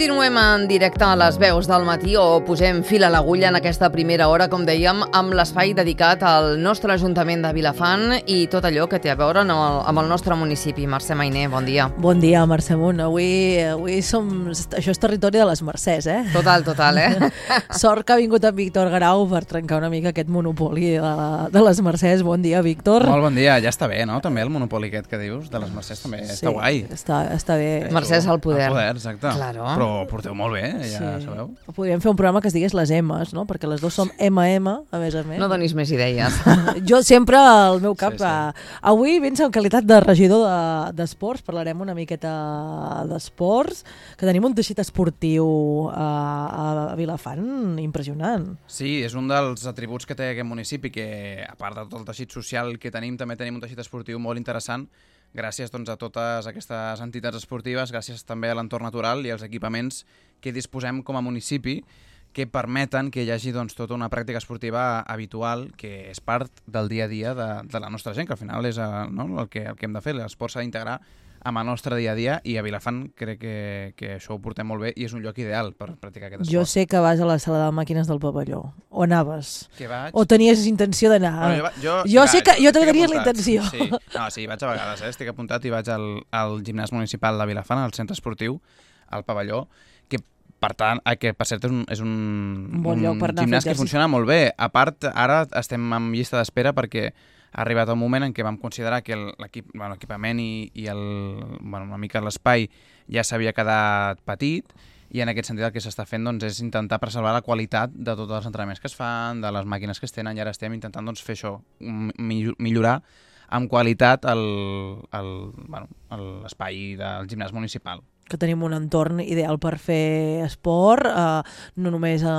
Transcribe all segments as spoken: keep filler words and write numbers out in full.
Continuem en directe a les veus del matí o posem fil a l'agulla en aquesta primera hora, com dèiem, amb l'espai dedicat al nostre Ajuntament de Vilafant i tot allò que té a veure amb el, amb el nostre municipi. Mercè Mainer, bon dia. Bon dia, Mercè Munt. Avui, avui som... Això és territori de les Mercès, eh? Total, total, eh? Sort que ha vingut en Víctor Grau per trencar una mica aquest monopoli de, de les Mercès. Bon dia, Víctor. Molt bon dia. Ja està bé, no? També el monopoli aquest que dius de les Mercès també sí, està guai. Està, està bé. Mercès al poder. Ah, Al poder, exacte. Claro. Però porteu molt bé, ja sí. Sabeu. Podríem fer un programa que es digués les M's, no? Perquè les dues som ema ema, a més a més. No donis més idees. Jo sempre, al meu cap, sí, sí. avui vens en qualitat de regidor d'esports, de, parlarem una miqueta d'esports, que tenim un teixit esportiu a, a Vilafant impressionant. Sí, és un dels atributs que té aquest municipi, que a part de tot el teixit social que tenim, també tenim un teixit esportiu molt interessant, gràcies doncs, a totes aquestes entitats esportives, gràcies també a l'entorn natural i als equipaments que disposem com a municipi, que permeten que hi hagi doncs, tota una pràctica esportiva habitual que és part del dia a dia de, de la nostra gent, que al final és no, el, que, el que hem de fer. L'esport s'ha d'integrar amb el nostre dia a dia i a Vilafant crec que, que això ho portem molt bé i és un lloc ideal per practicar aquest esport. Jo sé que vas a la sala de màquines del pavelló. O anaves? Que vaig... O tenies intenció d'anar? Bueno, jo, jo, jo sí, sé que jo també tenies la apuntat. intenció. Sí. No, sí, vaig a vegades, eh? Estic apuntat i vaig al, al gimnàs municipal de Vilafant, al centre esportiu, al pavelló, que per tant, que per cert és un, és un, un, bon lloc per anar gimnàs que funciona molt bé. A part, ara estem en llista d'espera perquè ha arribat un moment en què vam considerar que l'equipament bueno, i, i el, bueno, una mica l'espai ja s'havia quedat petit i en aquest sentit el que s'està fent doncs, és intentar preservar la qualitat de tots els entrenaments que es fan, de les màquines que es tenen i ara estem intentant doncs, fer això, millorar amb qualitat l'espai bueno, del gimnàs municipal. Que tenim un entorn ideal per fer esport, eh, no només eh,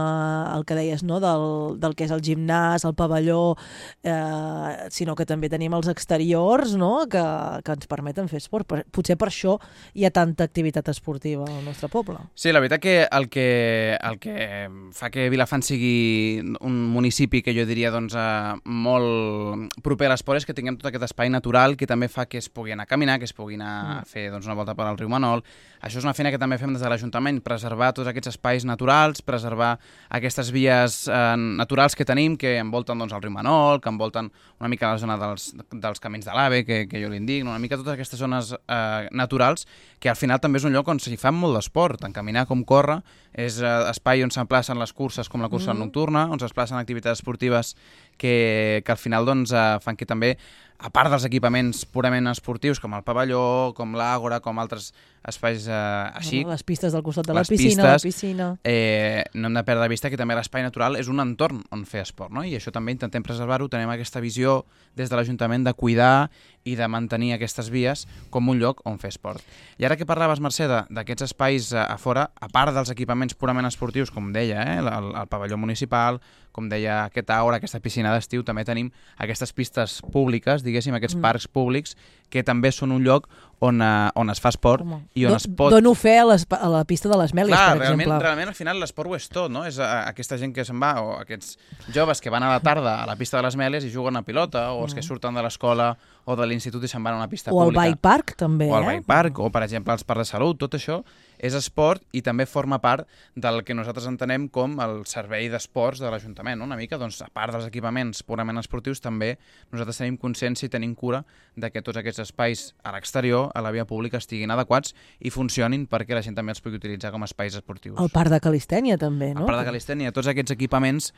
el que deies, no, del, del que és el gimnàs, el pavelló, eh, sinó que també tenim els exteriors, no, que, que ens permeten fer esport. Potser per això hi ha tanta activitat esportiva al nostre poble. Sí, la veritat que el que, el que fa que Vilafant sigui un municipi que jo diria doncs, eh, molt proper a l'esport és que tinguem tot aquest espai natural que també fa que es pugui anar a caminar, que es pugui anar a fer doncs, una volta per al riu Manol. Això és una feina que també fem des de l'Ajuntament, preservar tots aquests espais naturals, preservar aquestes vies eh, naturals que tenim, que envolten doncs, el riu Manol, que envolten una mica la zona dels, dels camins de l'Ave, que, que jo li dic, una mica totes aquestes zones eh, naturals, que al final també és un lloc on s'hi fa molt d'esport, tant caminar com córrer, és eh, espai on s'emplacen les curses com la cursa mm. nocturna, on s'emplacen activitats esportives que, que al final doncs, eh, fan que també, a part dels equipaments purament esportius, com el pavelló, com l'àgora, com altres espais eh, així... Les pistes del costat de la pistes, piscina, la piscina... Eh, no hem de perdre de vista que també l'espai natural és un entorn on fer esport, no? I això també intentem preservar-ho, tenim aquesta visió des de l'Ajuntament de cuidar i de mantenir aquestes vies com un lloc on fer esport. I ara que parlaves, Mercè, d'aquests espais a, a fora, a part dels equipaments purament esportius, com deia, eh, el, el pavelló municipal, com deia aquest aura, aquesta piscina d'estiu, també tenim aquestes pistes públiques, diguéssim, aquests mm. parcs públics, que també són un lloc on, uh, on es fa esport Home. i on Don, es pot... Dono fe a, les, a la pista de les Mèlies, Clar, per realment, exemple. Realment, al final, l'esport ho és tot, no? És uh, aquesta gent que se'n va, o aquests joves que van a la tarda a la pista de les Mèlies i juguen a pilota, o els mm. que surten de l'escola o de l'institut i se'n van a una pista o pública. O al bike park, també, O al eh? bike park, o per exemple els parcs de salut, tot això és esport i també forma part del que nosaltres entenem com el servei d'esports de l'Ajuntament, no? Una mica, doncs, a part dels equipaments purament esportius, també nosaltres tenim consciència i tenim cura de que tots aquests espais a l'exterior, a la via pública, estiguin adequats i funcionin perquè la gent també els pugui utilitzar com a espais esportius. El parc de Calistènia, també, no? El parc de Calistènia, tots aquests equipaments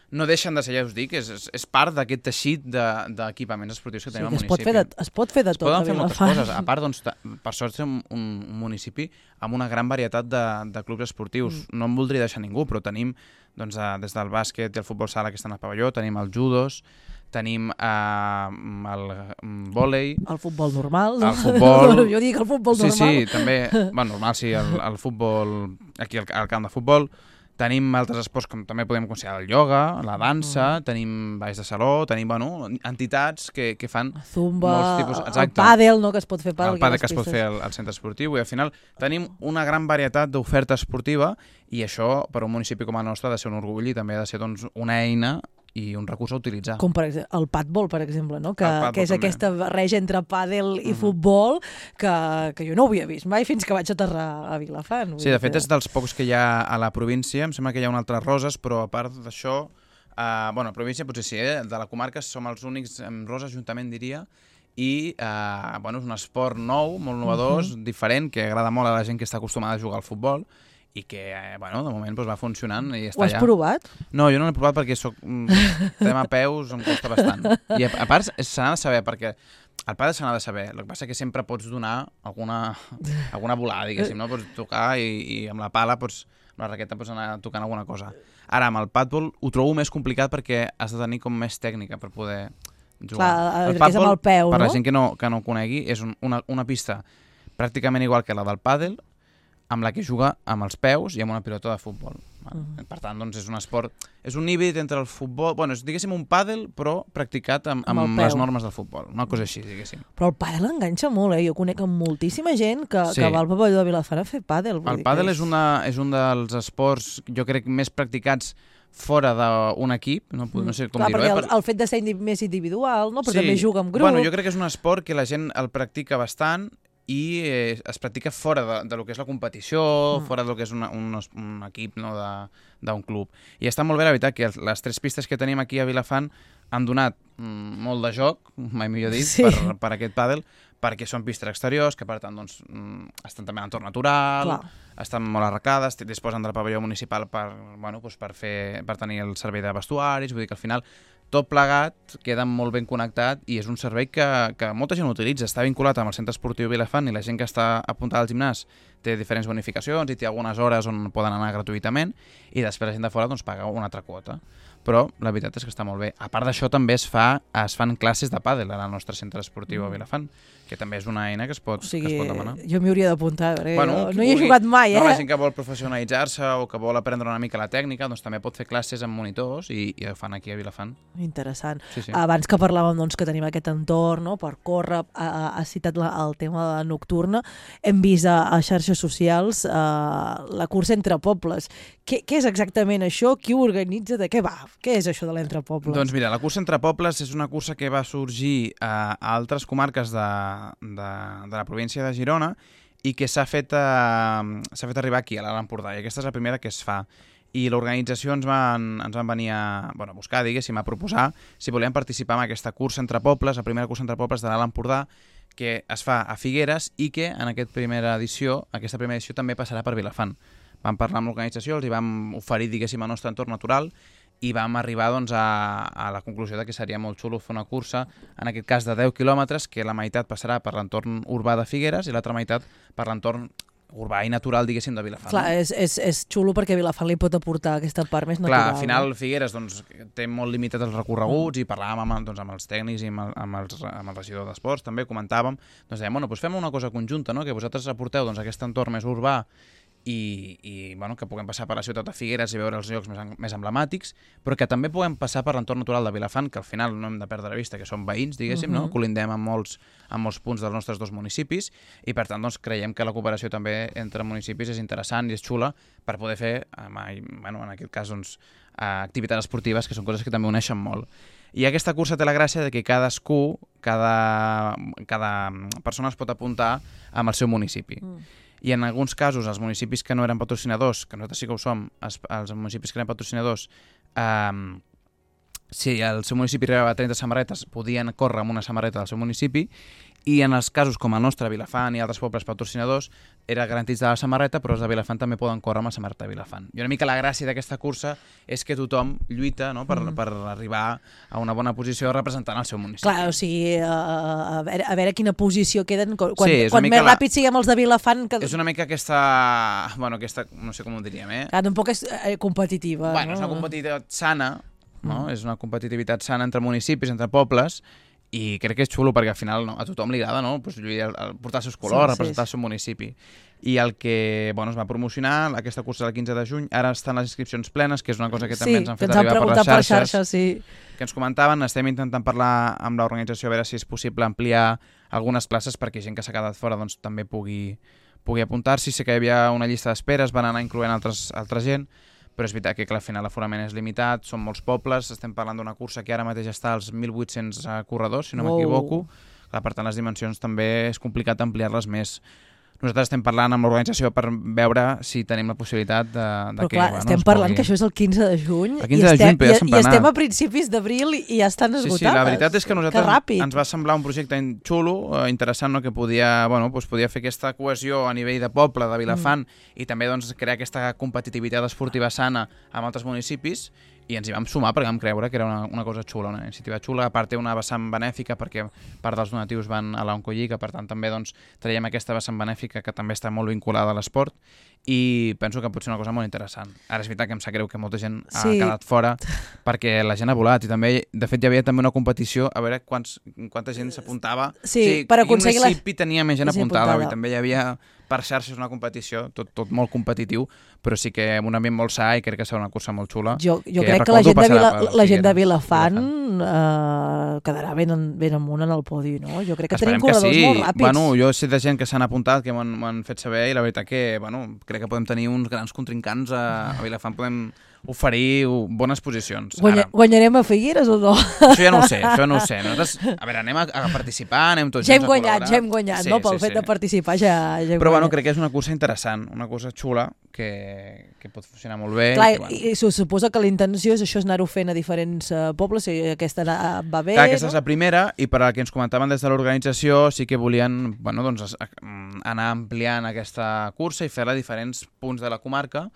no deixen de ser, ja us dic, és, és, és part d'aquest teixit d'equipaments de, esportius que sí, tenim que al es pot municipi. fer de, es pot fer de es tot. Es poden fer moltes coses. A part, doncs, per sort, som un, un municipi amb una gran varietat de, de clubs esportius. Mm. No em voldria deixar ningú, però tenim doncs, des del bàsquet i el futbol sala que estan al pavelló, tenim el judos, tenim eh, el vòlei... El futbol normal. El futbol... jo dic el futbol sí, normal. Sí, sí, també... Bueno, normal, sí, el, el futbol... Aquí al, al camp de futbol... Tenim altres esports com també podem considerar el ioga, la dansa, mm. tenim balls de saló, tenim bueno, entitats que, que fan Zumba, molts tipus... Exacte. El pàdel, no?, que es pot fer per el pàdel que es pot fer al, al centre esportiu i al final tenim una gran varietat d'oferta esportiva i això per un municipi com el nostre ha de ser un orgull i també ha de ser doncs, una eina i un recurs a utilitzar. Com per exemple, el padbol, per exemple, no? que, padbol que és també. aquesta barreja entre pàdel i Mhm. futbol que, que jo no ho havia vist mai fins que vaig aterrar a Vilafant. Vull Sí, de dir fet que- és dels pocs que hi ha a la província, em sembla que hi ha un altre Roses, però a part d'això, eh, bueno, a província potser sí, eh? De la comarca som els únics amb Roses, juntament diria, i eh, bueno, és un esport nou, molt novedós, Mhm. diferent, que agrada molt a la gent que està acostumada a jugar al futbol i que, eh, bueno, de moment doncs, va funcionant i està Ho has allà. provat? No, jo no l'he provat perquè soc, mm, tema peus em costa bastant. I a, a part se n'ha de saber, perquè el pàdel se n'ha de saber, el que passa que sempre pots donar alguna, alguna volada, diguéssim, no? Pots tocar i, i amb la pala, pots, amb la raqueta pots anar tocant alguna cosa. Ara, amb el pàdel ho trobo més complicat perquè has de tenir com més tècnica per poder jugar. Clar, el que és amb el peu, per no? la gent que no, que no ho conegui, és un, una, una pista pràcticament igual que la del pàdel, amb la que juga amb els peus i amb una pilota de futbol. Mhm. Per tant, doncs, és un esport, és un híbrid entre el futbol, bueno, és, diguéssim, un pàdel, però practicat amb, Amb amb, el les peu. normes del futbol. Una cosa així, diguéssim. Però el pàdel enganxa molt, eh? Jo conec amb moltíssima gent que, Sí. que va al pavelló de Vilafant a fer pàdel. Vull El dir pàdel que és, una, és un dels esports, jo crec, més practicats fora d'un equip, no, no sé com Clar, dir-ho. perquè Eh? el, el fet de ser indi més individual, no? Però Sí. també juga en grup. Bueno, jo crec que és un esport que la gent el practica bastant i eh, es practica fora de, de lo que és la competició, Mm. fora de lo que és una, un, un equip, no, de- d'un club. I està molt bé, la veritat, que els- les tres pistes que tenim aquí a Vilafant han donat mm, molt de joc, mai millor dit, Sí. per, per aquest pàdel, perquè són pistes exteriors, que per tant doncs, mm, estan també en entorn natural, Clar. estan molt arrecades, disposen del pavelló municipal per, bueno, doncs per, fer, per tenir el servei de vestuaris, vull dir que al final tot plegat queda molt ben connectat i és un servei que, que molta gent utilitza. Està vinculat amb el centre esportiu Vilafant i la gent que està apuntada al gimnàs té diferents bonificacions i té algunes hores on poden anar gratuïtament i després la gent de fora doncs, paga una altra quota. Però la veritat és que està molt bé. A part d'això també es, fa, es fan classes de pàdel al nostre centre esportiu a Vilafant, que també és una eina que es pot, O sigui, que es pot demanar. jo m'hi hauria d'apuntar, perquè Bueno, jo qui no hi he vulgui. jugat mai, eh? No, la gent que vol professionalitzar-se o que vol aprendre una mica la tècnica, doncs també pot fer classes amb monitors i, i ho fan aquí a Vilafant. Interessant. Sí, sí. Abans que parlàvem doncs, que tenim aquest entorn no? per córrer, ha, ha citat la, el tema de nocturna, hem vist a, a xarxes socials eh, la cursa entre pobles. Què, què és exactament això? Qui ho organitza? De què va? Què és això de l'entre pobles? Doncs mira, la cursa entre pobles és una cursa que va sorgir a, a altres comarques de, de, de la província de Girona i que s'ha fet, eh, s'ha fet arribar aquí, a l'Alt Empordà, i aquesta és la primera que es fa. I l'organització ens, van, ens van venir a, bueno, a buscar, diguéssim, a proposar si volien participar en aquesta cursa entre pobles, la primera cursa entre pobles de l'Alt Empordà, que es fa a Figueres i que en aquesta primera edició, aquesta primera edició també passarà per Vilafant. Vam parlar amb l'organització, els hi vam oferir, diguéssim, el nostre entorn natural i vam arribar doncs, a, a la conclusió de que seria molt xulo fer una cursa, en aquest cas de deu quilòmetres, que la meitat passarà per l'entorn urbà de Figueres i l'altra meitat per l'entorn urbà i natural, diguéssim, de Vilafant. Clar, és, és, és xulo perquè Vilafant li pot aportar aquesta part més natural. Clar, al final no? Figueres doncs, té molt limitat els recorreguts mm. i parlàvem amb, doncs, amb els tècnics i amb el, amb els, amb el regidor d'esports, també comentàvem, doncs dèiem, bueno, doncs fem una cosa conjunta, no? Que vosaltres aporteu doncs, aquest entorn més urbà i, i bueno, que puguem passar per la ciutat de Figueres i veure els llocs més, més emblemàtics, però que també puguem passar per l'entorn natural de Vilafant, que al final no hem de perdre de vista, que són veïns, diguéssim, uh-huh. no? Colindem amb molts, amb molts punts dels nostres dos municipis i per tant doncs, creiem que la cooperació també entre municipis és interessant i és xula per poder fer, bueno, en aquest cas, doncs, activitats esportives, que són coses que també uneixen molt. I aquesta cursa té la gràcia de que cadascú, cada, cada persona es pot apuntar amb el seu municipi. Mm. I en alguns casos, els municipis que no eren patrocinadors, que nosaltres sí que ho som, els, els municipis que eren patrocinadors, eh, si el seu municipi arribava a trenta samarretes, podien córrer amb una samarreta del seu municipi, i en els casos com el nostre, Vilafant i altres pobles patrocinadors, era garantits de la samarreta, però els de Vilafant també poden córrer amb la samarreta de Vilafant. I una mica la gràcia d'aquesta cursa és que tothom lluita, no?, per, mm. per arribar a una bona posició representant el seu municipi. Clar, o sigui, a, a, veure, a veure quina posició queden, quan, Sí, és una quan mica més la- ràpid siguem els de Vilafant... Que... És una mica aquesta... Bueno, aquesta... No sé com ho diríem, eh? Clar, tampoc és eh, competitiva. Bueno, no? és una competitivitat sana, no? Mm. És una competitivitat sana entre municipis, entre pobles, i crec que és xulo perquè al final no, a tothom li agrada, no? Pues, lluir, el, portar els seus colors, Sí, sí, representar sí. el seu municipi. I el que bueno, es va promocionar, aquesta cursa del quinze de juny, ara estan les inscripcions plenes, que és una cosa que també sí, ens han que fet ens han arribar per les preguntat xarxes, per xarxes, sí. que ens comentaven. Estem intentant parlar amb l'organització a veure si és possible ampliar algunes places perquè gent que s'ha quedat fora doncs, també pugui, pugui apuntar-s'hi. Sé que hi havia una llista d'espera, es van anar incloent altres, altra gent, però és veritat que clar, al final l'aforament és limitat, són molts pobles, estem parlant d'una cursa que ara mateix està als mil vuit-cents corredors, si no m'equivoco. Clar, per tant, les dimensions també és complicat ampliar-les més. Nosaltres estem parlant amb l'organització per veure si tenim la possibilitat de, de Però que... clar, bueno, estem parlant que això és el quinze de juny el quinze de juny, i, estem, i, i estem a principis d'abril i ja estan esgotades. Sí, sí, la veritat és que a nosaltres que ens va semblar un projecte xulo, eh, interessant, no? Que podia, bueno, doncs podia fer aquesta cohesió a nivell de poble, de Vilafant, mm. i també doncs, crear aquesta competitivitat esportiva sana amb altres municipis, i ens hi vam sumar perquè vam creure que era una, una cosa xula, una iniciativa xula. A part té una vessant benèfica perquè part dels donatius van a l'Oncolliga, per tant també doncs, traiem aquesta vessant benèfica que també està molt vinculada a l'esport i penso que pot ser una cosa molt interessant. Ara és veritat que em sap greu que molta gent ha sí. quedat fora perquè la gent ha volat i també, de fet, hi havia també una competició a veure quants, quanta gent s'apuntava. Sí, o sigui, per aconseguir la... municipi tenia més gent apuntada, apuntada. I també hi havia per xarxes una competició, tot, tot molt competitiu, però sí que amb un ambient molt sa i crec que serà una cursa molt xula. Jo, jo que crec que la gent, de, Vila, la gent de Vilafant Vilafant. eh, quedarà ben, ben amunt en el podi, no? Jo crec que Esperem tenim corredors que sí. molt ràpids. Bueno, jo sé de gent que s'han apuntat, que m'han fet saber, i la veritat que bueno, crec que podem tenir uns grans contrincants a, a Vilafant, podem oferir bones posicions. Guanya, Ara, guanyarem a Figueres o no? això ja no ho sé, això no ho sé. Nosaltres, a veure, anem a, a participar, anem tots ja hem junts a guanyat, col·laborar. ja hem guanyat, sí, no? Pel sí, fet sí. de participar ja, ja hem Però bueno, guanyat. crec que és una cursa interessant, una cursa xula que, que pot funcionar molt bé. Clar, i, que, bueno. i, i se suposa que la intenció és això, és anar-ho fent a diferents uh, pobles, i aquesta va bé, Clar, aquesta no? és la primera, i per al que ens comentaven des de l'organització sí que volien bueno, doncs, anar ampliant aquesta cursa i fer-la a diferents punts de la comarca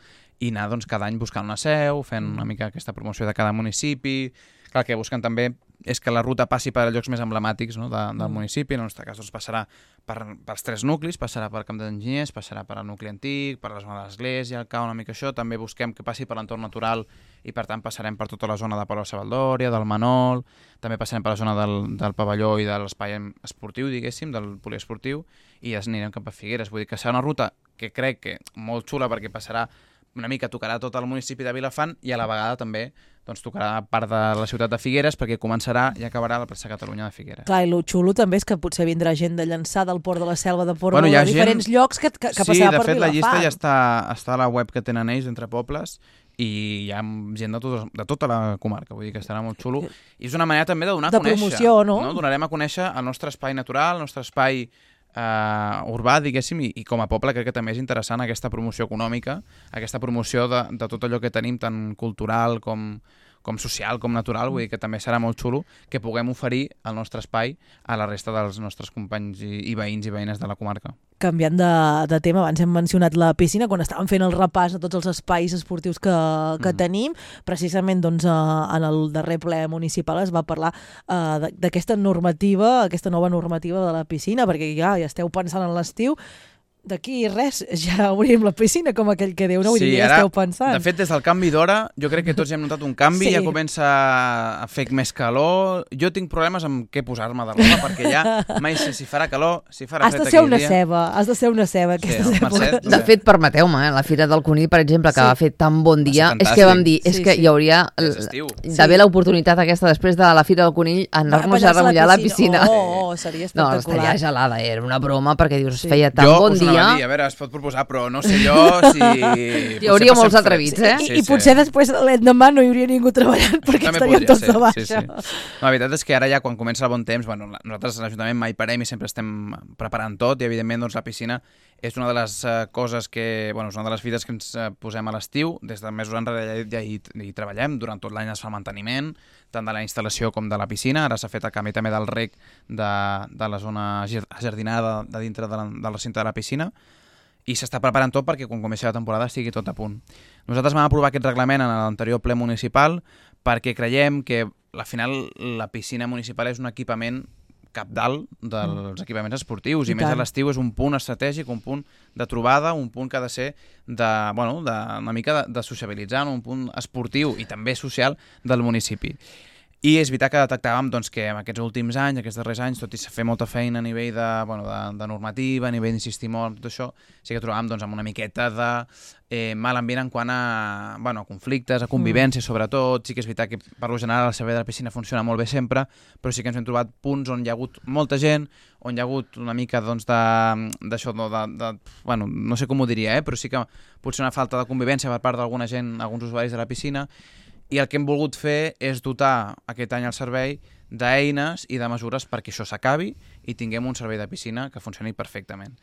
i anar doncs, cada any buscant una seu, fent una mica aquesta promoció de cada municipi. Clar, que busquen també és que la ruta passi per llocs més emblemàtics, no, de, del mm. municipi. En el nostre cas doncs, passarà per, pels tres nuclis, passarà per Camp d'Enginyers, passarà per el nucli antic, per la zona de l'Església, el Cau, una mica això. També busquem que passi per l'entorn natural i per tant passarem per tota la zona de Palau-Savaldòria, del Manol, també passarem per la zona del, del pavelló i de l'espai esportiu, diguéssim, del poliesportiu, i ja anirem cap a Figueres. Vull dir que serà una ruta que crec que molt xula perquè passarà una mica, tocarà tot el municipi de Vilafant i a la vegada també doncs, tocarà part de la ciutat de Figueres perquè començarà i acabarà la plaça Catalunya de Figueres. Clar, i el xulo també és que potser vindrà gent de Llançà, del Port de la Selva, de Port bueno, de gent... diferents llocs que, que, que sí, passarà per Vilafant. Sí, de fet la llista ja està, està a la web que tenen ells d'entre pobles i hi ha gent de, tot, de tota la comarca, vull dir que estarà molt xulo. I és una manera també de donar de a conèixer. De promoció, no? no? Donarem a conèixer el nostre espai natural, el nostre espai Uh, urbà, diguéssim, i, i com a poble crec que també és interessant aquesta promoció econòmica, aquesta promoció de, de tot allò que tenim, tant cultural com, com social, com natural, vull dir que també serà molt xulo que puguem oferir el nostre espai a la resta dels nostres companys i, i veïns i veïnes de la comarca. Canviant de, de tema, abans hem mencionat la piscina, quan estàvem fent el repàs de tots els espais esportius que, que mm. tenim, precisament doncs, en el darrer ple municipal es va parlar uh, d'aquesta normativa, aquesta nova normativa de la piscina, perquè ja, ja esteu pensant en l'estiu, d'aquí res, ja obrim la piscina, com aquell que diu, no? Vull sí, dir, ja ara, esteu pensant. De fet, des del canvi d'hora, jo crec que tots ja hem notat un canvi, sí. Ja comença a fer més calor. Jo tinc problemes amb què posar-me de roba, perquè ja mai sé si farà calor, si farà has fred de ser una dia. ceba, has de ser una ceba aquestes sí, èpoques. Mercet, de fet, permeteu-me, eh? La Fira del Conill, per exemple, que sí. va fer tan bon dia, és que vam dir, és sí, que sí. hi hauria d'haver sí. l'oportunitat aquesta després de la Fira del Conill anar-nos a remullar a la piscina. Oh, oh, seria espectacular. No, estaria gelada, era una broma, perquè dius, sí. feia tan jo bon dia. Jo us dir, a veure, es pot proposar, però no sé jo si... Hi hauria molts atrevits, eh? I, sí, i potser sí. després l'endemà no hi hauria ningú treballant perquè també estaríem tots de baixa. Sí, sí. No, la veritat és que ara ja quan comença el bon temps, bueno, nosaltres a l'Ajuntament mai parem i sempre estem preparant tot i evidentment doncs, la piscina és una de les uh, coses que, bueno, és una de les fites que ens uh, posem a l'estiu, des de mesos enrere ja hi, hi treballem, durant tot l'any es fa manteniment, tant de la instal·lació com de la piscina, ara s'ha fet el canvi també del rec de, de la zona jardinada de dintre de la, del recinte de la piscina, i s'està preparant tot perquè quan comenci la temporada estigui tot a punt. Nosaltres vam aprovar aquest reglament en l'anterior ple municipal perquè creiem que al final la piscina municipal és un equipament capdalt dels mm. equipaments esportius i, I més tant. A l'estiu és un punt estratègic, un punt de trobada, un punt que ha de ser de, bueno, de, una mica de, de sociabilitzar, un punt esportiu i també social del municipi. I és veritat que detectàvem doncs, que en aquests últims anys, aquests darrers anys, tot i fer molta feina a nivell de, bueno, de, de normativa, a nivell d'insistir molt, tot això, sí que trobàvem doncs, amb una miqueta de eh, mal ambient en quant a, bueno, a conflictes, a convivència, mm. sobretot. Sí que és veritat que per lo general el servei de la piscina funciona molt bé sempre, però sí que ens hem trobat punts on hi ha hagut molta gent, on hi ha hagut una mica doncs, d'això, de, de, de, bueno, no sé com ho diria, eh, però sí que potser una falta de convivència per part d'alguna gent, alguns usuaris de la piscina. I el que hem volgut fer és dotar aquest any el servei d'eines i de mesures perquè això s'acabi i tinguem un servei de piscina que funcioni perfectament.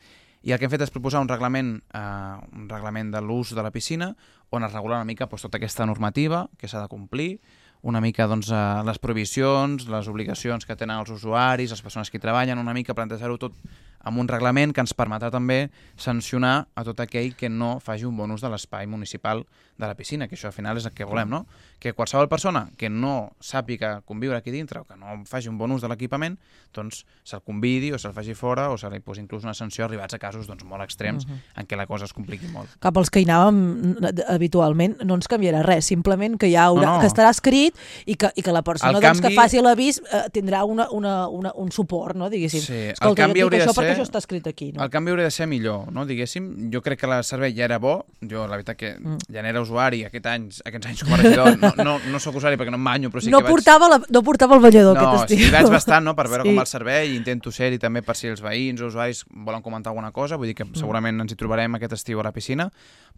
I el que hem fet és proposar un reglament, eh, un reglament de l'ús de la piscina on es regula una mica doncs, tota aquesta normativa que s'ha de complir, una mica doncs, eh, les prohibicions, les obligacions que tenen els usuaris, les persones que hi treballen, una mica plantejar-ho tot amb un reglament que ens permetrà també sancionar a tot aquell que no faci un bon ús de l'espai municipal de la piscina, que això al final és el que volem, no? Que qualsevol persona que no sàpiga conviure aquí dintre o que no faci un bon ús de l'equipament, doncs se'l convidi o se'l faci fora o se li posi inclús una sanció arribats a casos doncs, molt extrems uh -huh. en què la cosa es compliqui molt. Cap als que hi anàvem habitualment no ens canviarà res, simplement que, hi haurà, no, no. que estarà escrit i que, i que la persona doncs, canvi... que faci l'avís eh, tindrà una, una, una, un suport, no? Diguéssim. Sí, escolta, el canvi hauria de ser... això està escrit aquí, no? El canvi hauria de ser millor, no? Diguéssim. Jo crec que el servei ja era bo. Jo, la veritat, que mm. ja n'era usuari aquest anys, aquests anys com a regidor. No, no, no soc usuari perquè no em banyo, però sí no que portava vaig... La, no portava el banyador no, aquest estiu. No, sí, vaig bastant, no?, per veure sí. com va el servei, i intento ser-hi també per si els veïns o usuaris volen comentar alguna cosa. Vull dir que mm. segurament ens hi trobarem aquest estiu a la piscina,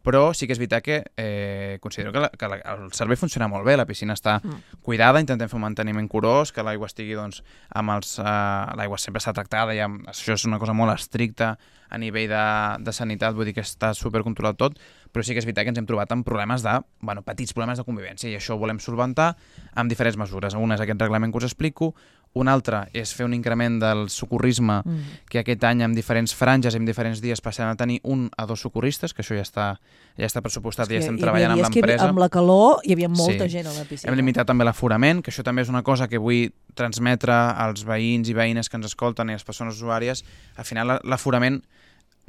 però sí que és veritat que eh, considero que, la, que la, el servei funciona molt bé, la piscina està mm. cuidada, intentem fer un manteniment curós, que l'aigua estigui, doncs, amb els... Eh, l'aigua sempre està tractada, i amb, això és una cosa molt estricta a nivell de, de sanitat, vull dir que està supercontrolat tot, però sí que és veritat que ens hem trobat amb problemes de, bueno, petits problemes de convivència, i això ho volem solventar amb diferents mesures. Una és aquest reglament que us explico, una altra és fer un increment del socorrisme, mm. que aquest any amb diferents franges i en diferents dies passem a tenir un a dos socorristes, que això ja està, ja està pressupostat i ja estem treballant amb l'empresa. Amb la calor hi havia molta sí. gent a la piscina. Hem limitat també l'aforament, que això també és una cosa que vull transmetre als veïns i veïnes que ens escolten i a les persones usuàries. Al final l'aforament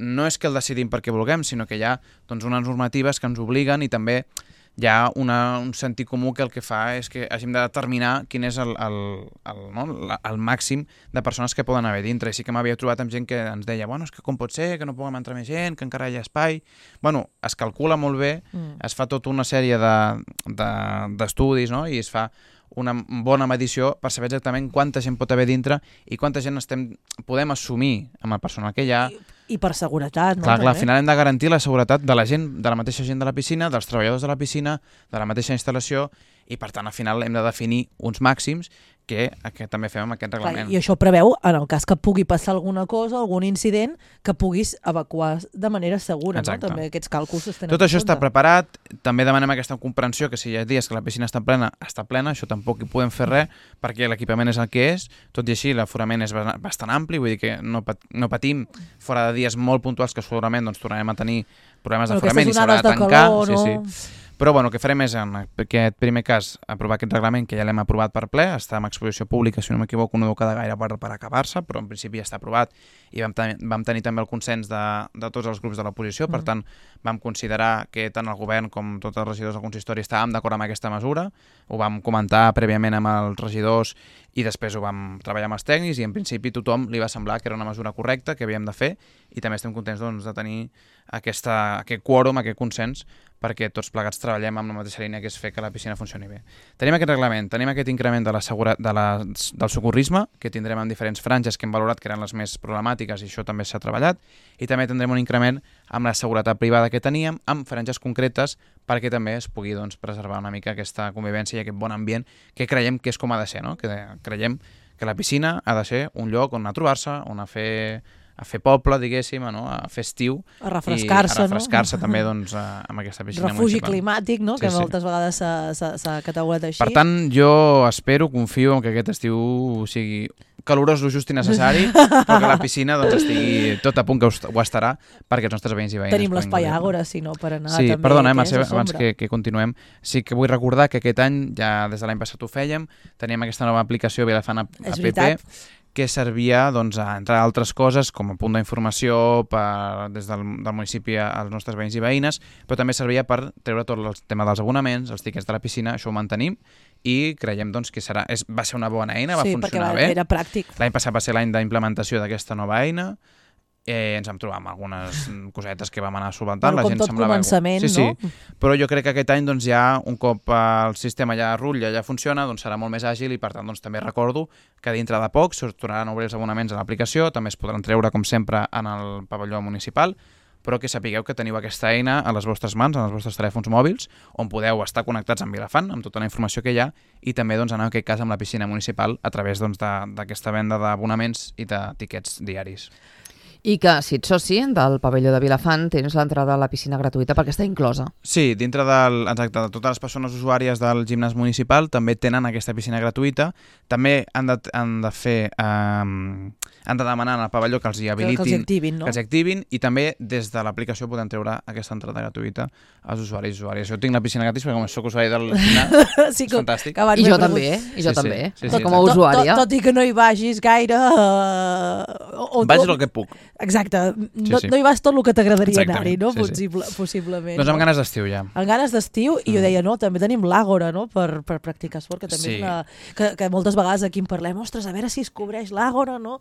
no és que el decidim perquè vulguem, sinó que hi ha doncs, unes normatives que ens obliguen, i també hi ha una, un sentit comú que el que fa és que hàgim de determinar quin és el, el, el, no? el màxim de persones que poden haver dintre. I sí que m'havia trobat amb gent que ens deia, bueno, és que com pot ser que no puguem entrar més gent, que encara hi ha espai... Bueno, es calcula molt bé, mm. es fa tota una sèrie d'estudis, de, de, no? I es fa una bona medició per saber exactament quanta gent pot haver dintre i quanta gent estem, podem assumir amb el personal que hi ha. I, i per seguretat, no? Clar, clar, al final hem de garantir la seguretat de la gent, de la mateixa gent de la piscina, dels treballadors de la piscina, de la mateixa instal·lació, i per tant al final hem de definir uns màxims que, que també fem amb aquest reglament. Clar, i això preveu, en el cas que pugui passar alguna cosa, algun incident, que puguis evacuar de manera segura. Exacte. No? També aquests càlculs es tenen tot això està preparat, també demanem aquesta comprensió que si hi ha dies que la piscina està plena, està plena, això tampoc hi podem fer res perquè l'equipament és el que és, tot i així l'aforament és bastant ampli, vull dir que no, pat no patim fora de dies molt puntuals que segurament doncs, tornarem a tenir problemes d'aforament i s'haurà de tancar. Calor, no? sí, sí. Però bueno, el que farem és, en aquest primer cas, aprovar aquest reglament, que ja l'hem aprovat per ple, està en exposició pública, si no m'equivoco, no deu quedar gaire per, per acabar-se, però en principi ja està aprovat, i vam, ten vam tenir també el consens de, de tots els grups de l'oposició, mm. per tant, vam considerar que tant el govern com tots els regidors del consistori estàvem d'acord amb aquesta mesura, ho vam comentar prèviament amb els regidors i després ho vam treballar amb els tècnics, i en principi tothom li va semblar que era una mesura correcta, que havíem de fer, i també estem contents doncs, de tenir aquesta, aquest quòrum, aquest consens, perquè tots plegats treballem amb la mateixa línia, que és fer que la piscina funcioni bé. Tenim aquest reglament, tenim aquest increment de la segura, de la, del socorrisme, que tindrem en diferents franges que hem valorat que eren les més problemàtiques, i això també s'ha treballat, i també tindrem un increment amb la seguretat privada que teníem, amb franges concretes, perquè també es pugui doncs, preservar una mica aquesta convivència i aquest bon ambient que creiem que és com ha de ser, no? Que creiem que la piscina ha de ser un lloc on anar a trobar-se, on a fer... a fer poble, diguéssim, no? A fer estiu. A refrescar-se, no? A refrescar-se no? també doncs, amb aquesta piscina Refugi municipal. climàtic, no? Sí, que sí. moltes vegades s'ha catalogat així. Per tant, jo espero, confio en que aquest estiu sigui calorós, lo just i necessari, però que la piscina doncs, estigui tot a punt, que ho estarà, perquè els nostres veïns i veïnes... Tenim l'espai Àgora, si no, per anar sí, també. Perdona, eh, Mercè, abans que, que continuem, sí que vull recordar que aquest any, ja des de l'any passat ho fèiem, teníem aquesta nova aplicació Vilafant App, que servia, doncs, a, entre altres coses, com a punt d'informació des del, del municipi als nostres veïns i veïnes, però també servia per treure tot el tema dels abonaments, els tiquets de la piscina, això ho mantenim, i creiem doncs, que serà, és, va ser una bona eina, va sí, funcionar va, bé. Era pràctic. L'any passat va ser l'any d'implementació d'aquesta nova eina. Eh, ens vam trobar amb algunes cosetes que vam anar solventant. Bueno, la com gent tot semblava... començament, sí, sí. no? Però jo crec que aquest any doncs, ja, un cop el sistema ja rutlla, ja funciona, doncs serà molt més àgil i per tant doncs, també recordo que dintre de poc es tornaran a obrir els abonaments a l'aplicació, també es podran treure com sempre en el pavelló municipal, però que sapigueu que teniu aquesta eina a les vostres mans, en els vostres telèfons mòbils, on podeu estar connectats amb Vilafant, amb tota la informació que hi ha, i també doncs, en aquest cas amb la piscina municipal a través doncs, d'aquesta venda d'abonaments i de tiquets diaris. I que, si ets soci del pavelló de Vilafant, tens l'entrada a la piscina gratuïta perquè està inclosa. Sí, dintre del, exacte, de totes les persones usuàries del gimnàs municipal també tenen aquesta piscina gratuïta. També han de, han de fer... Eh, han de demanar al pavelló que els hi habilitin, que els activin, no? que els activin, i també des de l'aplicació podem treure aquesta entrada gratuïta als usuaris i usuàries. Jo tinc la piscina gratis perquè com soc usuari del gimnàs, sí, és fantàstic. I jo també, i jo sí, també, sí, sí, tot sí, com a exacte. usuària. Tot, tot, tot i que no hi vagis gaire... Uh, o, Vaig el que puc. Exacte, no, sí, sí. no hi vas tot el que t'agradaria anar-hi, no? Sí, sí. Possible, possiblement. Doncs amb no? ganes d'estiu ja. Amb ganes d'estiu, i jo deia, no, també tenim l'Àgora, no?, per, per practicar esport, que també Sí. és una... Que, que moltes vegades aquí en parlem, ostres, a veure si es cobreix l'Àgora, no?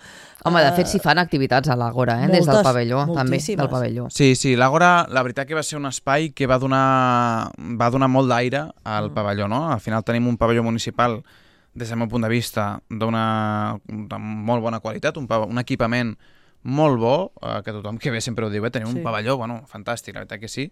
Home, de Uh, fet, s'hi fan activitats a l'Àgora, eh? Des del moltes, pavelló, també, moltíssimes. del pavelló. Sí, sí, l'Àgora, la veritat que va ser un espai que va donar, va donar molt d'aire al Mm. pavelló, no? Al final tenim un pavelló municipal, des del meu punt de vista, d'una de molt bona qualitat, un, un equipament molt bo, eh, que tothom que ve sempre ho diu, eh? Tenim Sí. un pavelló, bueno, fantàstic, la veritat que sí.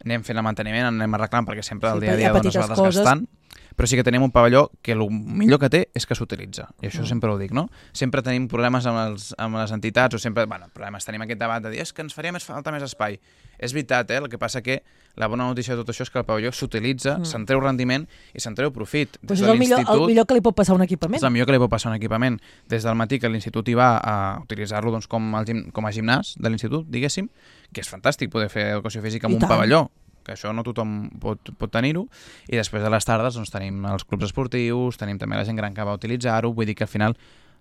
Anem fent el manteniment, anem arreglant, perquè sempre Sí, el dia a hi ha dia doncs, es petites va desgastant. coses. Però sí que tenim un pavelló que el millor que té és que s'utilitza, i això Mm. sempre ho dic, no? Sempre tenim problemes amb, els, amb les entitats, o sempre, bueno, problemes, tenim aquest debat de dir és que ens faria més falta més espai. És veritat, eh? El que passa que la bona notícia de tot això és que el pavelló s'utilitza, mm. se'n treu rendiment i se'n treu profit. Pues Des és de el millor, el l'institut, millor que li pot passar a un equipament. és el millor que li pot passar a un equipament. Des del matí que l'institut hi va a utilitzar-lo doncs, com, el gim, com a gimnàs de l'institut, diguéssim, que és fantàstic poder fer educació física en I un tant. pavelló, que això no tothom pot, pot tenir-ho, i després de les tardes doncs, tenim els clubs esportius, tenim també la gent gran que va utilitzar-ho, vull dir que al final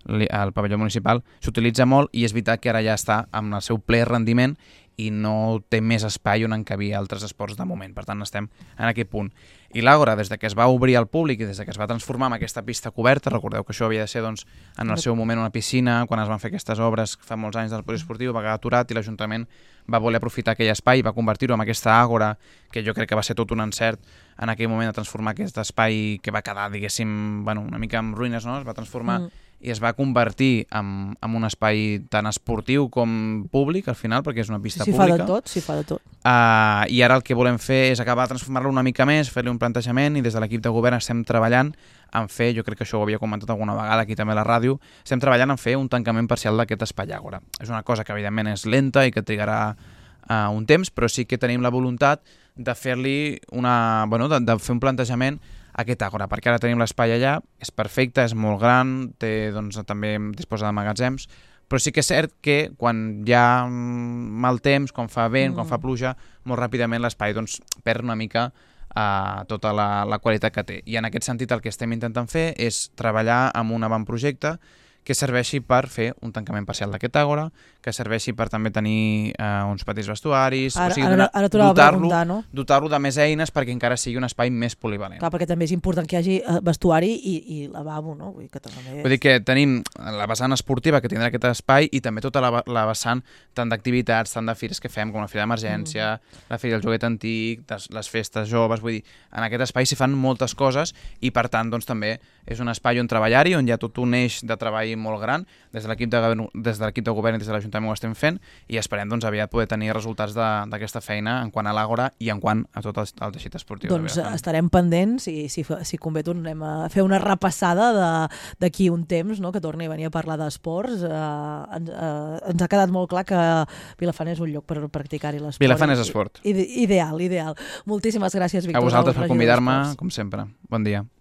li- el pavelló municipal s'utilitza molt i és veritat que ara ja està amb el seu ple rendiment i no té més espai on encabir altres esports de moment, per tant estem en aquest punt. I l'Àgora, des de que es va obrir al públic i des de que es va transformar en aquesta pista coberta, recordeu que això havia de ser doncs, en el seu moment una piscina, quan es van fer aquestes obres fa molts anys del poliesportiu, va quedar aturat i l'Ajuntament va voler aprofitar aquell espai i va convertir-ho en aquesta Àgora, que jo crec que va ser tot un encert en aquell moment de transformar aquest espai que va quedar, diguéssim, bueno, una mica en ruïnes, no? Es va transformar mm. i es va convertir en, en un espai tan esportiu com públic, al final, perquè és una pista S'hi fa pública. de tot, s'hi fa de tot. Uh, I ara el que volem fer és acabar de transformar-lo una mica més, fer-li un plantejament, i des de l'equip de govern estem treballant en fer, jo crec que això ho havia comentat alguna vegada aquí també a la ràdio, estem treballant en fer un tancament parcial d'aquest espai Àgora. És una cosa que evidentment és lenta i que trigarà uh, un temps, però sí que tenim la voluntat de fer-li una, bueno, de, de fer un plantejament a aquest Àgora, perquè ara tenim l'espai allà, és perfecte, és molt gran, té, doncs, també disposa de magatzems, però sí que és cert que quan hi ha mal temps, quan fa vent, mm. quan fa pluja, molt ràpidament l'espai doncs, perd una mica uh, tota la, la qualitat que té. I en aquest sentit el que estem intentant fer és treballar amb un avantprojecte que serveixi per fer un tancament parcial d'aquest Àgora, que serveixi per també tenir eh, uns petits vestuaris, Ara, o sigui, ara, ara t'ho anava a dotar-lo preguntar, no? dotar-lo de més eines perquè encara sigui un espai més polivalent. Clar, perquè també és important que hi hagi eh, vestuari i, i lavabo, no? Vull dir que també... Vull dir que tenim la vessant esportiva que tindrà aquest espai i també tota la, la vessant tant d'activitats, tant de fires que fem, com la Fira d'Emergència, mm. la Fira del Joguet Antic, des, les festes joves, vull dir, en aquest espai s'hi fan moltes coses i per tant doncs, també és un espai on treballar-hi, on hi ha tot un eix de treball molt gran, des de l'equip de, des de l'equip de govern i des de l'Ajuntament ho estem fent i esperem doncs, aviat poder tenir resultats d'aquesta feina en quant a l'Àgora i en quant a tot el, el teixit esportiu. Doncs estarem pendents i si, si convé tornem a fer una repassada d'aquí un temps, no? Que torni a venir a parlar d'esports. Eh, ens, eh, ens ha quedat molt clar que Vilafant és un lloc per practicar-hi l'esport. Vilafant és esport. Ide ideal, ideal. Moltíssimes gràcies, Víctor. A vosaltres per convidar-me, com sempre. Bon dia.